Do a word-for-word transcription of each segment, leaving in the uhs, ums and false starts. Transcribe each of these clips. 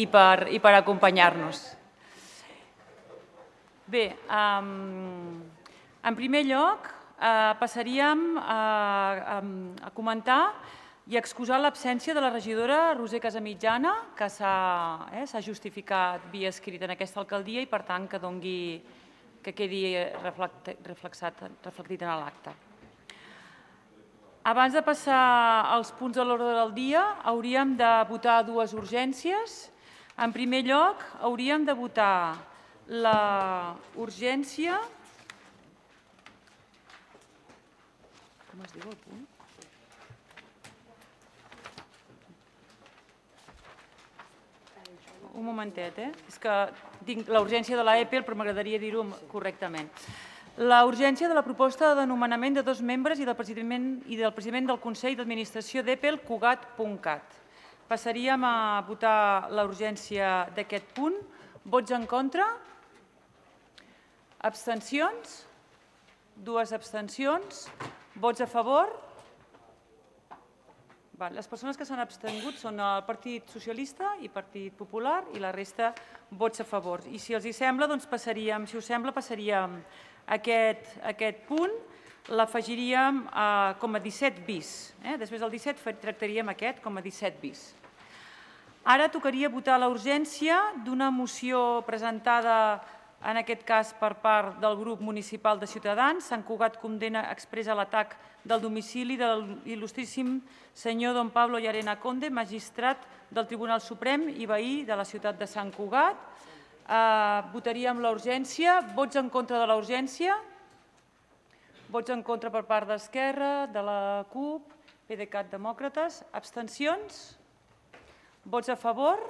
i per, i per acompanyar-nos. Bé, um, en primer lloc uh, passaríem a, a, a comentar i excusar l'absència de la regidora Roser Casamitjana, que s'ha eh, justificat via escrit en aquesta alcaldia i, per tant, que, dongui, que quedi reflexat, reflectit en l'acte. Abans de passar als punts de l'ordre del dia, hauríem de votar dues urgències. En primer lloc, hauríem de votar la urgència... Com es diu el punt? Un momentet, eh? És que tinc la urgència de l'A E P E L, però m'agradaria dir-ho correctament. La urgència de la proposta de nomenament de dos membres i del president, i del president del Consell d'Administració d'E P E L, Cugat punt cat. Passaríem a votar la urgència d'aquest punt. Vots en contra? Abstencions? Dues abstencions. Vots a favor? Les persones que s'han abstengut són el Partit Socialista i Partit Popular i la resta vots a favor. I si els hi sembla, doncs passaríem, si us sembla, passaríem aquest, aquest punt, l'afegiríem com a disset bis. Eh? Després del disset tractaríem aquest com a disset bis. Ara tocaria votar la urgència d'una moció presentada en aquest cas per part del grup municipal de Ciutadans. Sant Cugat condena expressa l'atac del domicili de l'il·lustríssim senyor don Pablo Llarena Conde, magistrat del Tribunal Suprem i veí de la ciutat de Sant Cugat. Votaríem la urgència. Vots en contra de la urgència? Vots en contra per part d'Esquerra, de la CUP, PDeCAT, Demòcrates. Abstencions? Vots a favor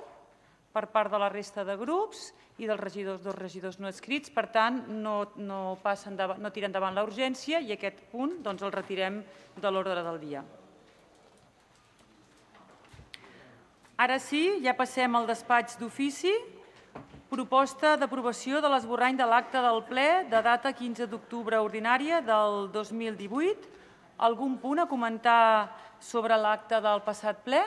per part de la resta de grups i dels regidors, dos regidors no adscrits. Per tant, no, no, passa endavant, no tira endavant la urgència i aquest punt doncs, el retirem de l'ordre del dia. Ara sí, ja passem al despatx d'ofici. Proposta d'aprovació de l'esborrany de l'acte del ple de data quinze d'octubre ordinària del dos mil divuit. Algun punt a comentar sobre l'acte del passat ple?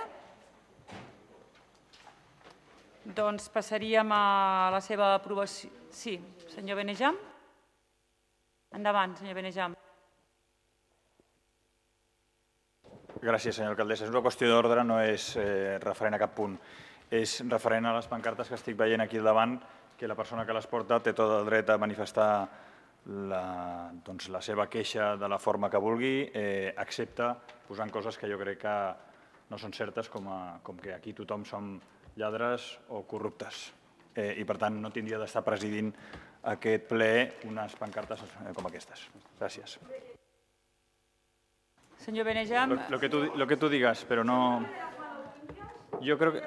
Doncs passaríem a la seva aprovació. Sí, senyor Benejam. Endavant, senyor Benejam. Gràcies, senyora alcaldessa. És una qüestió d'ordre, no és referent a cap punt. És referent a les pancartes que estic veient aquí al davant, que la persona que les porta té tot el dret a manifestar la seva queixa de la forma que vulgui, excepte posant coses que jo crec que no són certes, com que aquí tothom som lladres o corruptes. I, per tant, no tindria d'estar presidint aquest ple unes pancartes com aquestes. Gràcies. Senyor Benejam. Lo que tú, lo que tú digas, pero no... Yo creo que...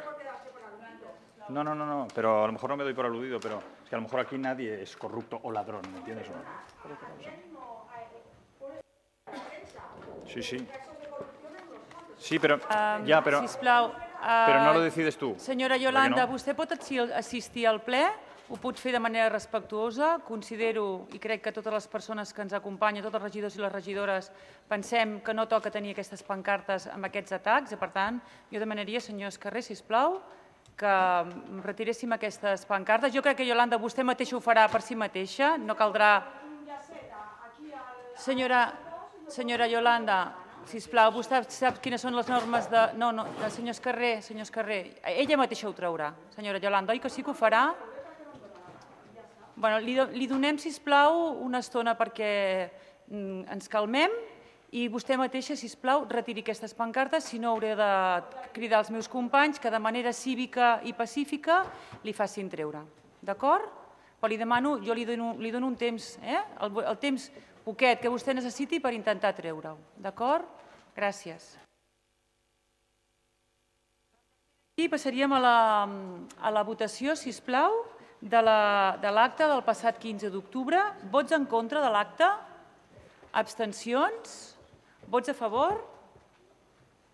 No, no, no, no, pero a lo mejor no me doy por aludido, pero es que a lo mejor aquí nadie es corrupto o ladrón, ¿me entiendes? Sí, sí. Sí, pero... Ya, pero... Sisplau. Però no lo decides tu. Senyora Yolanda, vostè pot assistir al ple? Ho pot fer de manera respectuosa. Considero, i crec que totes les persones que ens acompanyen, tots els regidors i les regidores, pensem que no toca tenir aquestes pancartes amb aquests atacs. Per tant, jo demanaria, senyor Escarré, sisplau, que retiréssim aquestes pancartes. Jo crec que, Yolanda, vostè mateixa ho farà per si mateixa. No caldrà... Senyora Yolanda... Sisplau, vostè sap quines són les normes de... No, no, senyor Escarré, senyor Escarré, ella mateixa ho traurà, senyora Yolanda, oi que sí que ho farà? Bé, li donem, sisplau, una estona perquè ens calmem i vostè mateixa, sisplau, retiri aquestes pancartes, si no hauré de cridar als meus companys que de manera cívica i pacífica li facin treure. D'acord? Però li demano, jo li dono un temps, el temps poquet que vostè necessiti per intentar treure-ho. D'acord? Gràcies. I passaríem a la votació, sisplau, de l'acte del passat quinze d'octubre. Vots en contra de l'acte? Abstencions? Vots a favor?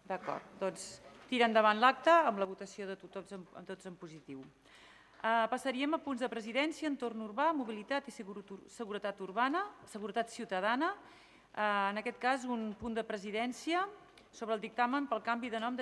D'acord. Doncs tira endavant l'acte amb la votació de tots en positiu. Passaríem a punts de presidència, entorn urbà, mobilitat i seguretat urbana, seguretat ciutadana. En aquest cas, un punt de presidència sobre el dictamen pel canvi de nom de